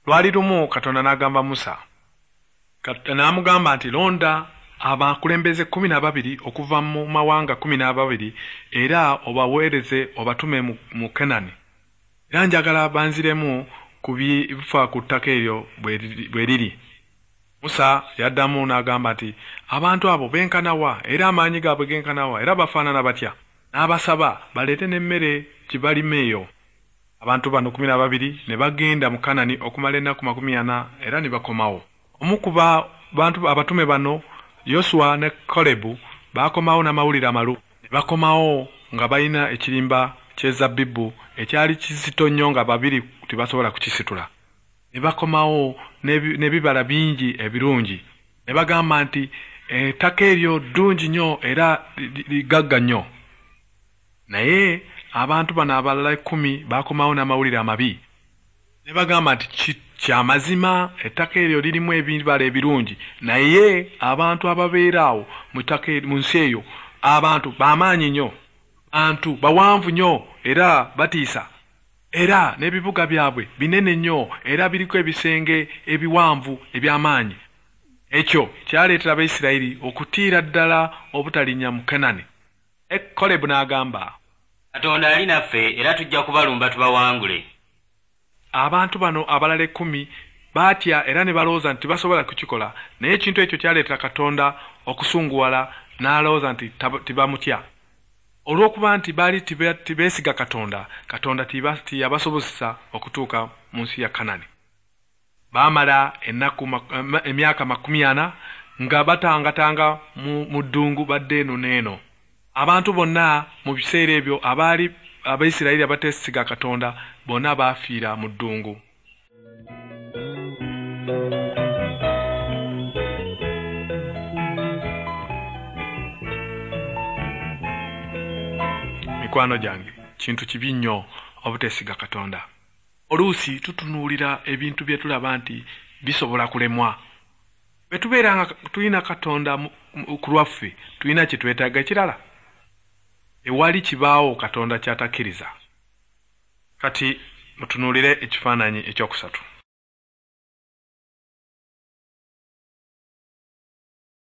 Lwali lumu Katonda n'agamba Musa, n'amugamba nti londa abakulembeze 12 okuva mu mawanga 12 era obaweereze obatume mu Kenani. Era njagala banziremu ku bifa ku ttaka eryo bwe liri. Musa yaddamu n'agamba nti abantu abo benkana wa, era amaanyi gaabwe genkana wa, era bafaanana batya? N'abasaba baleete n'emmere gye balima eyo. Abantu bano 12 ne bagenda mu Kanani okumala ennaku 40 era ne bakomawo. Omu ku bantu abatume bano, Yoswa ne Kalebu, baakomawo n'amawulire amalungi. Ne bakomawo nga balina ekirimba ky'ezabbibu ekyali kizito nnyo nga babiri tebasobola kukisitula. Ne bakomawo n'ebibala bingi ebirungi. Ne bagamba nti ettaka eryo ddungi nnyo era ligagga nnyo. Naye abantu bano abalala 10 baakomawo n'amawulire amabi. Ne bagamba nti kyamazima ettaka eryo lirimu ebibala ebirungi, naye abantu ababeera awo mu nsi eyo abantu b'amaanyi nnyo, bantu bawanvu nnyo era batiisa, era n'ebibuga byabwe binene nnyo era biriko ebisenge ebiwanvu eby'amaanyi. Ekyo kyaleetera Abayisirayiri okutiira ddala obutalinnya mu Kanani. Kalebu n'agamba, Katonda ali naffe era tujja kubalumba tubawangule. Abantu bano abalala 10 baatya era ne balowooza nti tebasobola kukikola, naye ekintu ekyo kyaleetera Katonda okusunguwala n'alowooza nti tebamutya. Olw'okuba nti baali tebeesiga Katonda, Katonda tiyabasobozesa okutuuka mu nsi ya Kanani. Baamala emyaka 40 nga batangatanga mu ddungu badde eno n'eno. Abantu bonna mu biseera ebyo abaali Abayisirayiri abateesiga Katonda bonna baafiira mu ddungu. Mikwano gyange, kintu kibi nnyo obuteesiga Katonda. Oluusi tutunuulira ebintu bye tulaba nti bisobola kulemwa. Bwe tubeera nga tulina Katonda ku lwaffe, tulina kye twetaaga ekirala. Ewali kibaawo Katonda ky'atakkiriza. Kati mutunuulire ekifaananyi ekyokusatu.